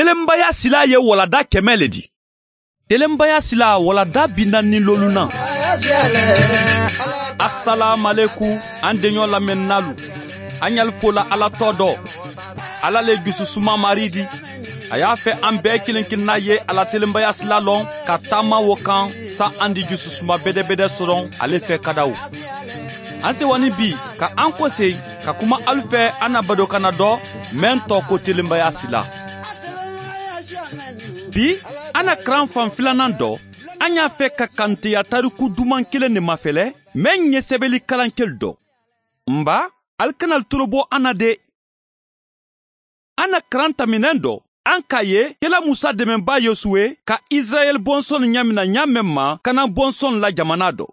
Telenbaya sila ye walada 100 le di. Telenbaya sila walada 45nan. Assalamu alaikum an deɲɔ lamɛnnalu. An y'al fola Ala tɔ dɔ. Ala le jususuma mari di. A y'a fɛ an bɛɛ kelen kelenna ye ala telenbaya sila lɔn ka taama wo kan sa an di jususuma bɛdɛbɛdɛ sɔrɔ ale fɛ kadaw. An sewani bi ka an kɔse ka kuma alu fɛ an na badokana dɔ mɛn tɔ ko telenbaya sila. Bi an na karan fan filanan dɔ an y'a fɛ ka kanteya tariku duman kelen de mafɛlɛ mɛn ɲɛ sɛbɛnni kalankɛli dɔ. Nba ali kana tolo bɔ an na de. An na karan taminɛn dɔ an k'a ye kɛla Musa dɛmɛba Yosuwe ka Israɛl bɔnsɔn ɲamina ɲa ma kana bɔnsɔn la jamana dɔ.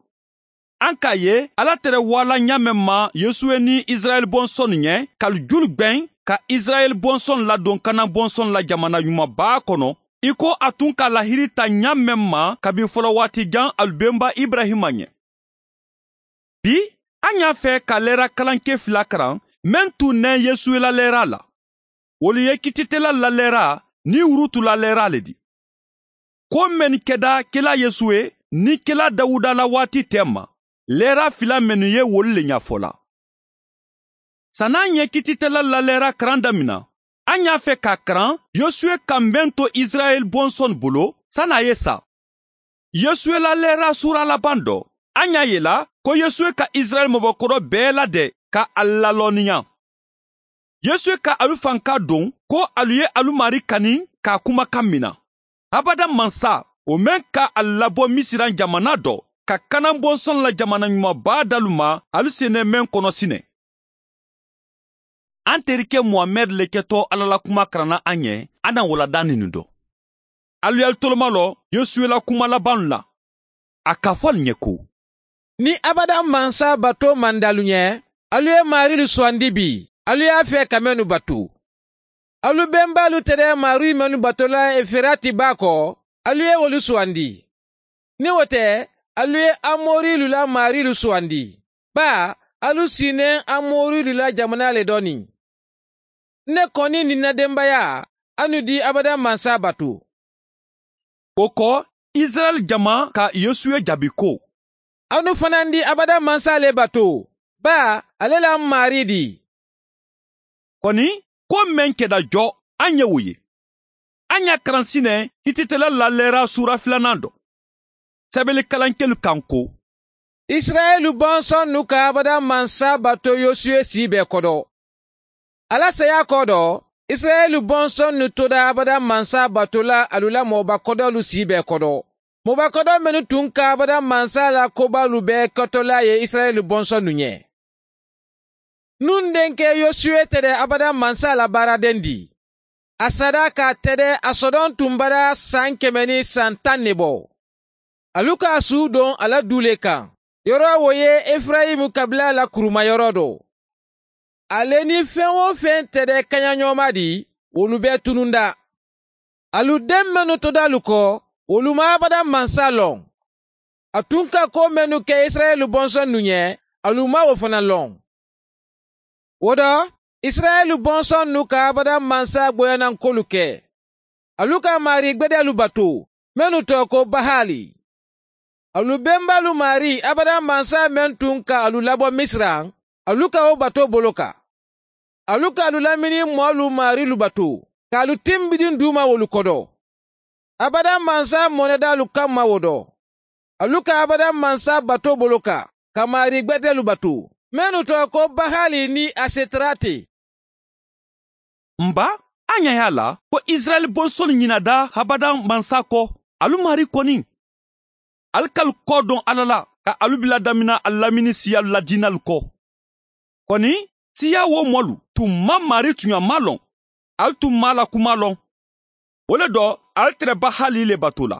An k'a ye Ala tɛrɛ wala ɲa ma Yosuwe ni Israɛl bɔnsɔn ɲɛ kalijulu gbɛn ka Israɛl bɔnsɔn ladon kana bɔnsɔn la jamana ɲumanba kɔnɔ i ko a tun ka lahiri ta ɲa ma kabi fɔlɔ waati jan alubenba Ibrahima ɲɛ. Bi an y'a fɛ ka lɛra kalanke fila karan mɛn tun nɛ Yesuwe la lɛra la. Wolu ye kititela la lɛra ni wurutu la lɛra le di. Ko mɛn kɛda kela Yesuwe ni kela Dawuda la waati tɛ ma. Lɛra fila mɛnu ye wolu le ɲɛfɔ la. San'an ye kititela la lɛra karan damina, an y'a fɛ k'a karan Yosuwe ka mɛn to Israɛl bɔnsɔn bolo san'a ye sa. Yosuwe la lɛra sura laban dɔ, an y'a ye la ko Yosuwe ka Israɛl mɔbɔkɔrɔ bɛɛ ladɛ ka a lalɔnniya. Yosuwe ka alu fanka don ko alu ye alu mari kani k'a kumakan mina. Abada mansa o mɛn ka a labɔ Misiran jamana dɔ ka kanan bɔnsɔn la jamana ɲumanba dalu ma alu senɛ mɛn kɔnɔ sinɛ. An terikɛ Muhamɛd le kɛtɔ Ala la kuma karanna an ɲɛ an na walada nin dɔ. Alu y'al toloma lɔ Yosuwe la kuma laban la. A k'a fɔ nin ɲɛ ko: Ni abada mansa bato mandalu ɲɛ, alu ye marilu sugandi bi, alu y'a fɛ ka mɛnu bato. Alu bɛnbalu tɛrɛ mari mɛnu batola Eferati ba kɔ, alu ye wolu sugandi. Ni o tɛ, alu ye Amorilu la marilu sugandi. Ba, alu sinen Amorilu la jamana le dɔɔni. Ne kɔni ni na denbaya, anu di abada mansa bato. O kɔ, Israɛl jama ka Yosuwe jaabi ko: Anu fana di abada mansa le bato. Ba, ale la mari di. Kɔni, ko mɛn kɛda jɔ, an ye o ye. An y'a karan sinɛ kititela la lɛra sura filanan dɔ. Sɛbɛnni kalankɛlu kan ko: Israɛlu bɔnsɔn nu ka abada mansa bato Yosuwe si bɛɛ kɔdɔ. Ala saya kɔ dɔ, Israɛlu bɔnsɔn nu toda abada mansa bato la alu la mɔbakɔdɔlu si bɛɛ kɔdɔ. Mɔbakɔdɔ minnu tun ka abada mansa la kobalu bɛɛ kɛtɔla ye Israɛlu bɔnsɔn nu ɲɛ. Nun denkɛ Yosuwe tɛrɛ abada mansa la baaraden di. A sada k'a tɛrɛ a sɔdɔn tun bara san 110 ne bɔ. Alu k'a su don a la du le kan. Yɔrɔ wo ye Efrayimu kabila la kurumayɔrɔ dɔ. Ale ni fɛn o fɛn tɛrɛ kaɲaɲɔma di, olu bɛɛ tununda. Alu den minnu todalu kɔ, olu ma abada mansa lɔn. A tun ka ko minnu kɛ Israɛlu bɔnsɔn nu ɲɛ, alu ma o fana lɔn. O dɔ, Israɛlu bɔnsɔn nu ka abada mansa gbɔyanankolu kɛ. Alu ka mari gbɛdɛlu bato, minnu tɔ ko Bahali. Alu bɛnbalu mari abada mansa mɛn tun ka alu labɔ Misira, alu ka o bato bolo kan. Alu ka alu lamini mɔlu marilu bato, k'alu tinbidin d'u ma wolu kɔdɔ. Abada mansa mɔnɛdalu kama o dɔ. Alu ka abada mansa bato bolo kan, ka mari gbɛdɛlu bato. Minnu tɔ ko Bahali ni Asetarate. Nba, an ɲɛ y'a la ko Israɛl bɔnsɔn ɲinada habada mansa kɔ, alu mari kɔni. Alu k'alu kɔ dɔn Ala la ka alu bila damina a lamini siyalu la diinalu kɔ. Kɔni, siya wo mɔlu tun ma mari tuɲama lɔn, alu tun ma la kuma lɔn. O le dɔ, alu tɛrɛ Bahali le bato la.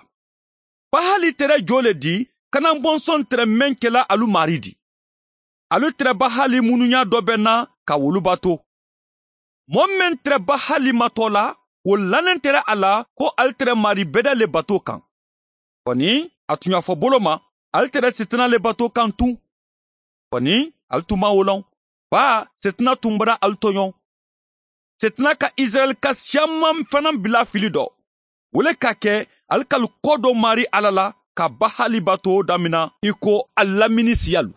Bahali tɛrɛ jo le di, kana bɔnsɔn tɛrɛ mɛn kɛla alu mari di. Alu tɛrɛ Bahali mununya dɔ bɛ na ka wolu bato. Mɔɔ mɛn tɛrɛ Bahali matɔ la, o lanen tɛrɛ a la ko alu tɛrɛ mari bɛdɛ le bato kan. Kɔni, a tun y'a fɔ bolo ma, alu tɛrɛ sitanɛ le bato kan tun. Kɔni, alu tun ma o lɔn. Ba, sitanɛ tun bara alu tɔɲɔ. Setana ka Israɛl ka siyaman fana bila fili dɔ. O le ka kɛ ali k'alu kɔ dɔ mari Ala la ka Bahali bato damina i ko a lamini siyalu.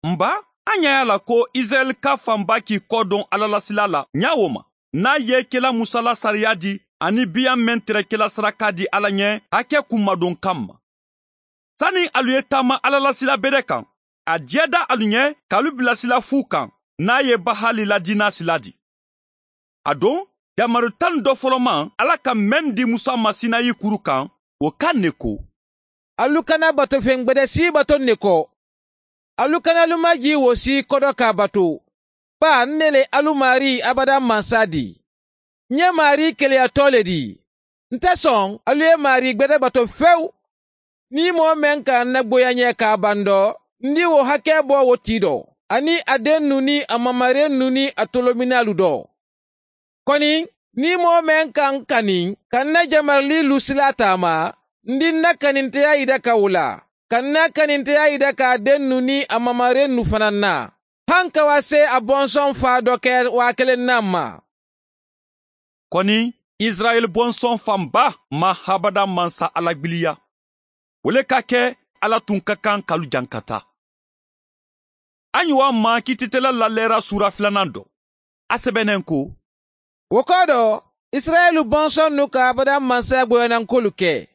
Nba, an y'a la ko Israɛl ka fanba k'i kɔ don Ala la sila la ɲa o ma. N'a ye kɛla Musa la sariya di ani biyan mɛn tɛrɛ kɛla saraka di Ala ɲɛ hakɛ kunmadon kanma. Sani alu ye taama Ala la sila bɛrɛ kan, a diɲɛ da alu ɲɛ k'alu bila sila fu kan n'a ye Bahali la diina sila di. A don, jamaru 10 dɔ fɔlɔ ma Ala ka mɛn di Musa ma Sinayi kuru kan, o kan ne ko. Alu kana bato fɛn gbɛdɛ si bato ne kɔ. Alu kana alu maji wo si kɔdɔ k'a bato. Ba ne le alu mari abada mansa di. N ye mari keleyatɔ le di. N tɛ sɔn alu ye mari gbɛdɛ bato fewu. Ni mɔgɔ mɛn ka n gboya ɲɛ k'a ban dɔ, n di wo hakɛ bɔ wo ti dɔ. Ani a den nu ni a mamaren nu ni a tolominalu dɔ. Kɔni, ni mɔgɔ mɛn ka n kani, ka n na jamarili lu sila taama, n di n na kaninteya yida ka o la. Ka n na kaninteya yida k'a den nu ni a mamaren nu fana na. Han ka wa se a bɔnsɔn fa dɔ kɛ 1000 na ma. Kɔni, Israɛl bɔnsɔn fanba ma habada mansa Ala gbiliya. O le ka kɛ Ala tun ka kan k'alu jankata. An ye wa ma kititɛla lalɛra sura 2 dɔ. A sɛbɛnnen ko. O kɔ dɔ, Israɛlu bɔnsɔn nu ka abada mansa gboyanankolu kɛ.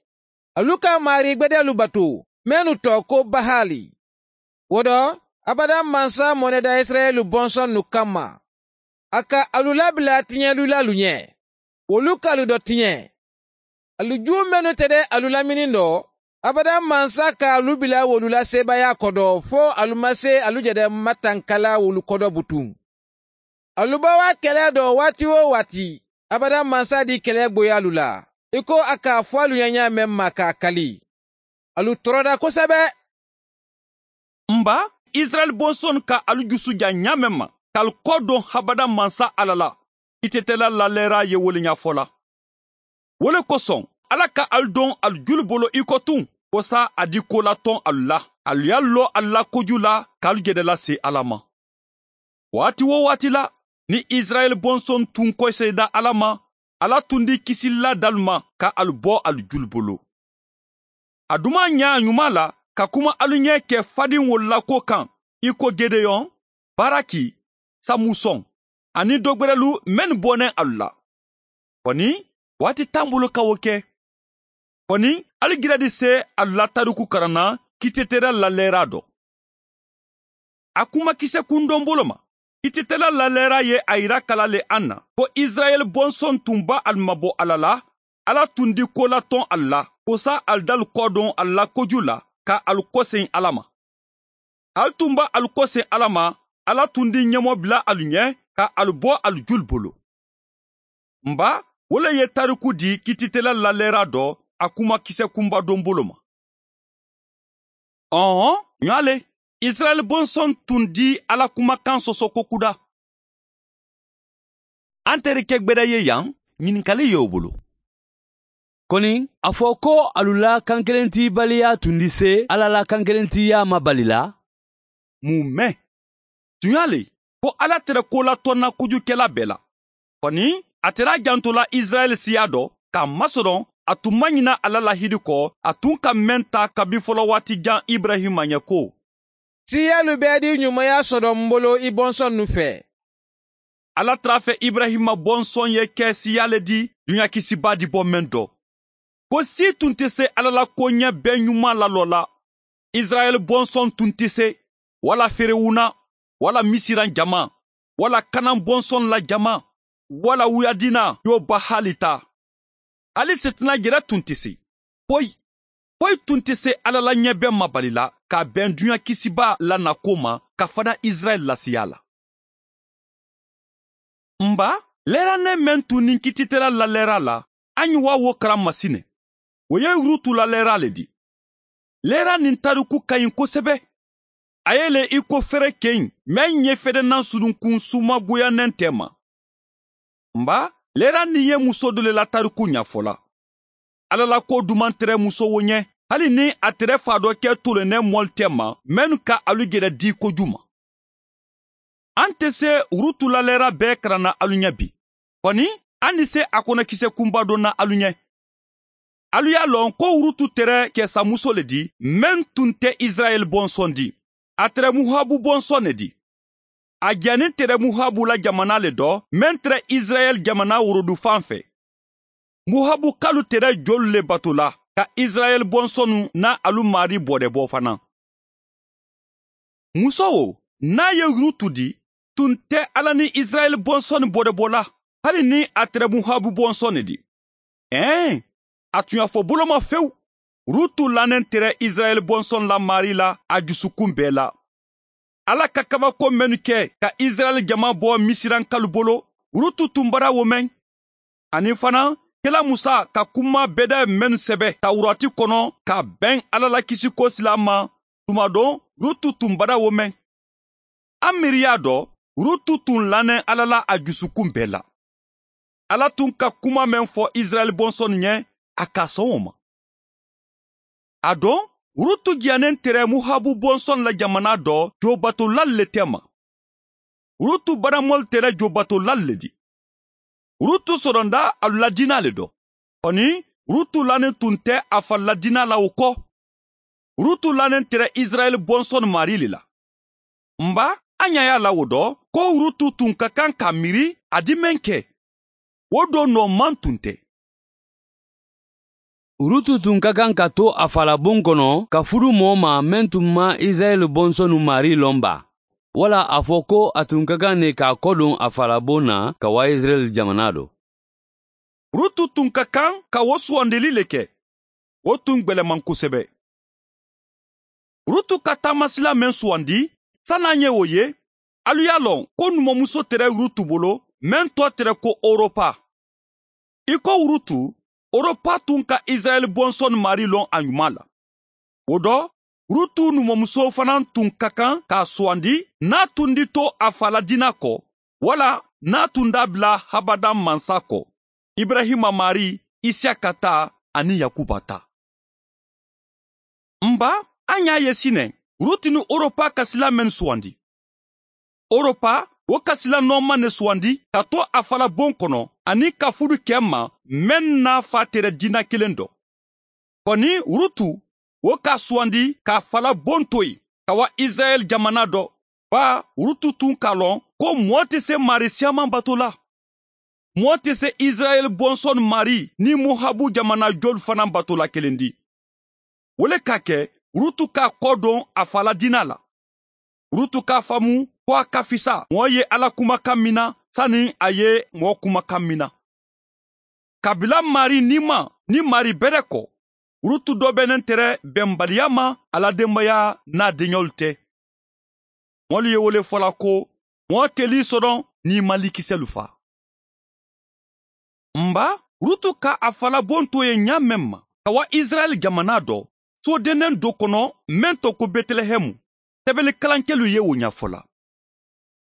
Alu ka mari gbɛdɛlu bato, mɛnu tɔ ko Bahali. O dɔ, abada mansa mɔnɛda Israɛlu bɔnsɔn nu kama. A ka alu labila tiɲɛlulalu ɲɛ. Olu k'alu dɔ tiɲɛ. Alu ju mɛnu tɛ dɛ alu lamini dɔ, abada mansa ka alu bila wolu la sebaaya kɔdɔ fo alu ma se alu jɛdɛ matankala wolu kɔdɔ butun. Alu ba wa kɛlɛ dɔ waati o waati, abada mansa di kɛlɛ gboya alu la. I ko a k'a fɔ alu ɲɛ ɲa mɛn ma k'a kali. Alu tɔɔrɔda kosɛbɛ. Nba, Israɛl bɔnsɔn ka alu jusu ja ɲa mɛn ma, k'alu kɔ don habada mansa Ala la. I tɛtɛla lalɛra ye wele ɲɛfɔ la. Wo le kosɔn, Ala ka alu don alu julu bolo i kɔ tun, ko sa a di ko latɔn alu la. Alu y'a lɔ alu la koju la k'alu jɛdɛ lase Ala ma. Waati o waati la, ni Israɛl bɔnsɔn tun kɔseyida Ala ma, Ala tun di kisili dalu ma ka alu bɔ alu julu bolo. A duma ɲa a ɲuman la ka kuma alu ɲɛ kɛ faden wolola ko kan, i ko Gedeyon, Baraki, Samusɔn, ani dɔgbɛrɛlu mɛn bɔnɛ alu la. Kɔni, waati t'an bolo ka o kɛ. Kɔni, alu gɛrɛ di se alu la tariku karanna kitetɛra lalɛra dɔ. A kuma kisɛ kundɔn bolo ma. Kitetɛla lalɛra ye a yira kala le an na ko Israɛl bɔnsɔn tun ba alu mabɔ Ala la, Ala tun di ko latɔn alu la, ko sa alu dalu kɔ don alu la koju la ka alu kɔsen Ala ma. Alu tun ba alu kɔsen Ala ma, Ala tun di ɲɛmɔ bila alu ɲɛ ka alu bɔ alu joli bolo. Nba, o le ye tariku di kititɛla lalɛra dɔ a kuma kisɛ kunba don bolo ma. Ɔhɔn, ɲale, Israɛl bɔnsɔn tun di Ala kumakan sɔsɔ ko kuda. An terikɛ gbɛdɛ ye yan, ɲininkali y'o bolo. Kɔni, a fɔ ko alu la kankelentibaliya tun di se Ala la kankelentiya ma bali la? Mun mɛn? Tun y'ale ko Ala tɛrɛ ko latɔnna kojukɛla bɛɛ la. Kɔni, a tɛra janto la Israɛl siya dɔ, k'a masɔrɔ a tun ma ɲina Ala lahidi kɔ, a tun ka mɛn ta kabi fɔlɔ waati jan Ibrahima ɲɛ ko. Siyalu bɛɛ di ɲumanya sɔrɔ n bolo i bɔnsɔn nu fɛ. Ala tara fɛ Ibrahima bɔnsɔn ye kɛ siya le di dunuya kisiba di bɔ mɛn dɔ. Ko si tun tɛ se Ala la ko ɲɛ bɛɛ ɲuman lalɔ la. Israɛl bɔnsɔn tun tɛ se, wala Ferewuna, wala Misiran jama, wala Kanan bɔnsɔn la jama, wala Wuyadina y'o Bahali ta. Hali Setana yɛrɛ tun tɛ se. Foyi, foyi tun tɛ se Ala la ɲɛ bɛɛ mabali la k'a bɛn dunuya kisiba la nako ma ka fada Israɛl lasiya la. Nba, lɛranɛ mɛn tun ni kititɛla lalɛra la, an ye wa wo karan masinɛ. O ye Rutu lalɛra le di. Lɛra nin tariku ka ɲi kosɛbɛ. A ye le i ko fɛrɛ kɛɲi mɛn ɲɛ fɛdɛnan surunkun sumagoyanɛn tɛ ma. Nba, lɛra nin ye muso dɔ le la tariku ɲɛfɔ la. Ala la ko duman tɛrɛ muso wo ɲɛ, hali ni a tɛrɛ fa dɔ kɛ tolonɛ mɔli tɛ ma, mɛnnu ka alu gɛrɛ di koju ma. An tɛ se Rutu la lɛra bɛɛ karanna alu ɲɛ bi. Kɔni, an ni se a kɔnɔkisɛ kunba dɔ na alu ɲɛ. Alu y'a lɔn ko Rutu tɛrɛ kɛsamuso le di, mɛn tun tɛ Israɛl bɔnsɔn di. A tɛrɛ Muhabu bɔnsɔn le di. A jɛni tɛrɛ Muhabu la jamana le dɔ, mɛn tɛrɛ Israɛl jamana worodufan fɛ. Muhabu kalu tɛrɛ jolu le bato la, ka Israɛl bɔnsɔnnu n'a alu mari bɔdɛ bɔ fana. Muso o, n'a ye Rutu di, tun tɛ Ala ni Israɛl bɔnsɔn bɔdɛ bɔ la, hali ni a tɛrɛ Muhabu bɔnsɔn le di. A tun y'a fɔ boloma fewu. Rutu lanen tɛrɛ Israɛl bɔnsɔn la mari la a dusukun bɛɛ la. Ala ka kabako mɛnnu kɛ ka Israɛl jama bɔ Misirankalu bolo, Rutu tun bara wo mɛn. Ani fana, kela Musa ka kuma bɛdɛ mɛnnu sɛbɛ Tawurati kɔnɔ ka bɛn Ala la kisiko sila ma, tuma dɔ Rutu tun bara wo mɛn. An miiriya dɔ, Rutu tun lanen Ala la a dusukun bɛɛ la. Ala tun ka kuma mɛn fɔ Israɛl bɔnsɔn ɲɛ, a ka sɔn o ma. A dɔn, Rutu diyanen tɛrɛ Muhabu bɔnsɔn la jamana dɔ jobatolal le tɛ ma. Rutu baramɔl tɛrɛ jobatolal le di. Rutu sɔrɔnda alu la dina le dɔ. Kɔni, Rutu lanen tun tɛ a fa la dina la o kɔ. Rutu lanen tɛrɛ Israɛl bɔnsɔn mari le la. Nba, an ɲa y'a la o dɔ, ko Rutu tun ka kan ka miiri a di mɛn kɛ. O don nɔ man tun tɛ. Rutu tun ka kan ka to a falabon kɔnɔ ka furu mɔɔ ma mɛn tun ma Israɛl bɔnsɔnnu mari lɔn ba. Wala a fɔ ko a tun ka kan ne k'a kɔdon a falabon na ka wa Israɛl jamana dɔ. Rutu tun ka kan ka o sugandeli le kɛ. O tun gwɛlɛman kosɛbɛ. Rutu ka taamasila mɛn sugandi, san'an ye o ye, alu y'a lɔn ko numumuso tɛrɛ Rutu bolo, mɛn tɔ tɛrɛ ko Oropa. I ko Rutu, Oropa tun ka Israɛl bɔnsɔn mari lɔn a ɲuman la. O dɔ, Rutu numumuso fana tun ka kan k'a sugandi n'a tun di to a fa la dina kɔ, wala n'a tun da bila Habada mansa kɔ, Ibrahima mari, Isiyaka ta ani Yakuba ta. Nba, an y'a ye sinɛ, Rutu ni Oropa ka sila mɛn sugandi. Oropa, o ka sila nɔɔman ne sugandi ka to a fala bon kɔnɔ ani ka furu kɛ ma mɛn n'a fa tɛrɛ dina kelen dɔ. Kɔni Rutu, o ka sugandi k'a fala bon to yen ka wa Israɛl jamana dɔ. Ba, Rutu tun k'a lɔn ko mɔɔ tɛ se mari siyaman bato la. Mɔɔ tɛ se Israɛl bɔnsɔn mari ni Mohabu jamana joli fana bato la kelen di. O le ka kɛ Rutu k'a kɔ don a fala dina la. Rutu k'a faamu ko a ka fisa mɔɔ ye Ala kumakan min na sani a ye mɔɔ kumakan min na. Kabila mari ni ma ni mari bɛrɛ kɔ, Rutu dɔ bɛnnen tɛrɛ bɛnbaliya ma a la denbaya n'a denyɔlu tɛ. Mɔlu ye wele fɔla ko mɔɔ teli sɔrɔ n'i ma likisɛlu fa. Nba, Rutu ka a fala bon to ye ɲa mɛn ma, ka wa Israɛl jamana dɔ, sodennen dɔ kɔnɔ mɛn tɔ ko Bɛtɛlɛhɛmu. Sɛbɛnni kalankɛlu ye o ɲɛfɔ la.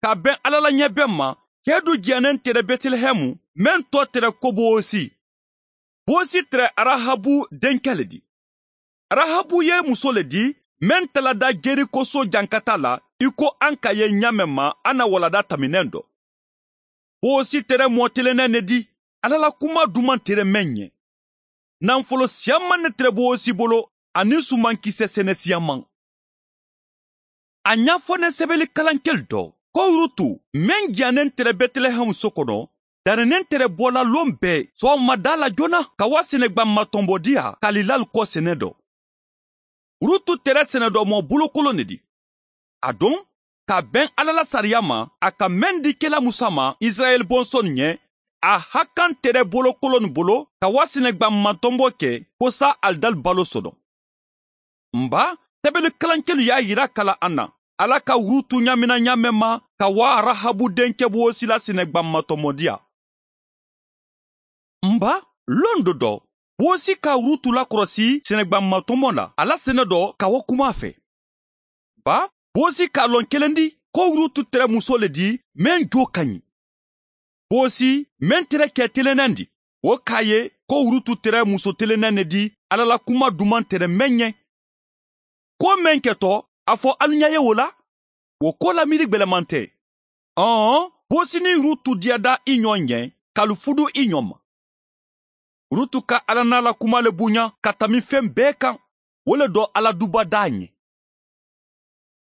Ka bɛn Ala la ɲɛbɛn ma, cɛ du jɛnnen tɛrɛ Bɛtɛlɛhɛmu, mɛn tɔ tɛrɛ ko Bowosi. Bowosi tɛrɛ Arahabu denkɛ le di. Arahabu ye muso le di, mɛn talada Jeriko so jankata la, i ko an ka ye ɲa mɛn ma an na walada taminɛn dɔ. Bowosi tɛrɛ mɔɔ telennɛn ne di, Ala la kuma duman tɛrɛ mɛn ɲɛ. Nanfolo siyaman ne tɛrɛ Bowosi bolo, ani sumankisɛ sɛnɛ siyaman. A ɲɛfɔ ne sɛbɛnni kalankɛli dɔ, ko Rutu, mɛn jannen tɛrɛ Bɛtɛlɛhɛmu so kɔnɔ, daninen tɛrɛ bɔla lon bɛɛ sɔgɔmada la joona ka wa sɛnɛgba matɔnbɔdiya kalilal kɔ sɛnɛ dɔ. Rutu tɛrɛ sɛnɛ dɔ mɔ bolokolon de di. A don, ka bɛn Ala la sariya ma, a ka mɛn di kela Musa ma Israɛl bɔnsɔn ɲɛ, a hakan tɛrɛ bolokolon bolo ka wa sɛnɛgba matɔnbɔ kɛ ko sa alidali balo sɔrɔ. Nba, sɛbɛnni kalankɛlu y'a yira kala an na. Ala ka Rutu ɲamina ɲamɛ ma ka wa Rahabu denkɛ Bowosi la sɛnɛgba matɔmɔdiya. Nba, lon dɔ dɔ, Bowosi ka Rutu lakɔlɔsi sɛnɛgba matɔmɔ la, a la sɛnɛ dɔ ka wa kuma fɛ. Ba, Bowosi k'a lɔn kelen di ko Rutu tɛrɛ muso le di mɛn jo ka ɲi. Bowosi mɛn tɛrɛ kɛ telennɛn di, o k'a ye ko Rutu tɛrɛ muso telennɛn ne di Ala la kuma duman tɛrɛ mɛn ɲɛ. Ko mɛn kɛtɔ, a fɔ alu ɲɛ ye o la, o ko la miiri gwɛlɛman tɛ. Ɔn, Bosi ni Rutu diyada i ɲɔ ɲɛ, k'alu fudu i ɲɔ ma. Rutu ka Ala n'a la kuma le bonya ka tami fɛn bɛɛ kan, o le dɔ Ala duba d'a ɲɛ.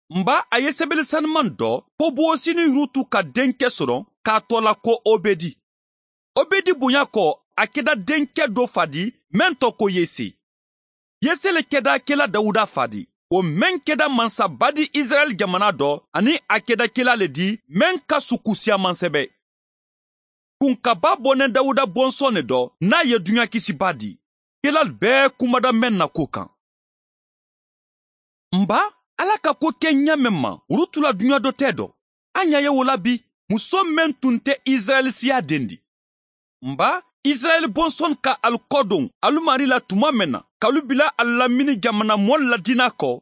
Nba a ye sɛbɛnni sanuman dɔ ko Bosi ni Rutu ka denkɛ sɔrɔ k'a tɔ la ko Obedi. Obedi bonya kɔ, a kɛda denkɛ dɔ fa di mɛn tɔ ko Yese. Yese le kɛda kela Dawuda fa di. O mɛn kɛda mansaba di Israɛl jamana dɔ ani a kɛda kela le di mɛn ka suku siyaman sɛbɛ. Kunkaba bɔnɛ Dawuda bɔnsɔn le dɔ n'a ye duɲa kisiba di. Kelal bɛɛ kumada mɛn na ko kan. Nba Ala ka ko kɛ ɲa mɛn ma, Rutu la duɲa dɔ tɛ dɔ. An ɲa ye o la bi, muso mɛn tun tɛ Israɛl siya den di. Nba Israɛl bɔnsɔn ka alu kɔ don alu mari la tuma mɛn na, k'alu bila alu lamini jamana mɔli la diina kɔ,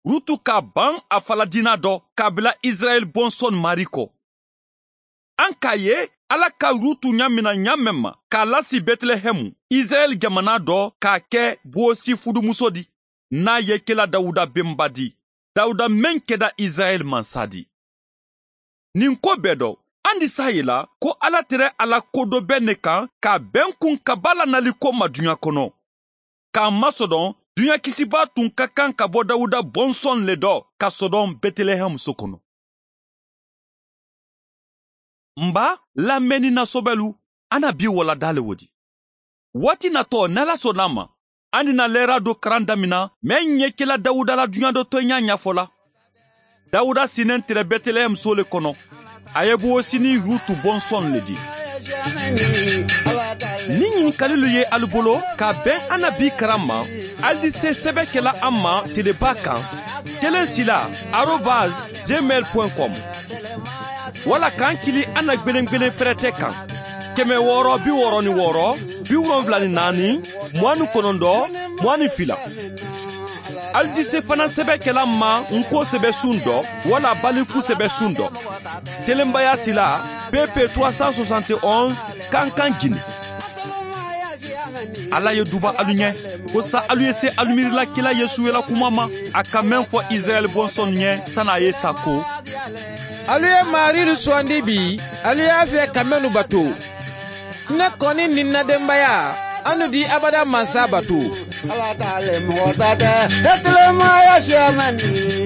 Rutu k'a ban a fala diina dɔ k'a bila Israɛl bɔnsɔn mari kɔ. An k'a ye Ala ka Rutu ɲamina ɲa mɛn ma k'a lasi Bɛtilɛhɛmu, Israɛl jamana dɔ k'a kɛ Bosi fudumuso di, n'a ye kela Dawuda benba di. Dawuda mɛn kɛda Israɛl mansa di. Nin ko bɛɛ dɔ, an di s'a ye la ko Ala tɛrɛ a la ko dɔ bɛ ne kan k'a bɛn kun ka ba la nali ko ma duɲa kɔnɔ. K'a masɔdɔn, duɲa kisiba tun ka kan ka bɔ Dawuda bɔnsɔn le dɔ ka sɔdɔn Bɛtilɛhɛmu so kɔnɔ. Nba lamɛnni nasɔbɛlu, an na bi walada le wo di. Waati natɔ n'Ala sɔnna a ma, an dina lɛra dɔ karan damina mɛ ɲɛkɛla Dawuda la duɲa dɔ tɔɲa ɲɛfɔ la. Dawuda sinen tɛrɛ Bɛtilɛhɛmu so le kɔnɔ. A ye Bosi ni Rutu bɔnsɔn le di. Ni ɲininkalilu ye alu bolo ka bɛn an na bi karan ma, alu di se sɛbɛ kɛla an ma teleba kan 1 sila @gmail.com wala k'an kili an na gwelen fɛrɛtɛ kan 666 74 29 22. Alu di se fana sɛbɛ kɛla ma nko sɛbɛ sun dɔ wala baliku sɛbɛ sun dɔ. Telenbaya sila PP 371 Kankan Guinée. Ala ye duba alu ɲɛ ko sa alu ye se alu miirila kila Yesu la kuma ma a ka mɛn fɔ Israɛl bɔnsɔn ɲɛ san'a ye sa ko Alu ye Marilu sugandi bi, alu y'a fɛ ka mɛnnu bato. Ne kɔni ni n na denbaya, anu di abada mansa bato. Ala t'ale mɔgɔ ta tɛ, e tilemaya siya man di.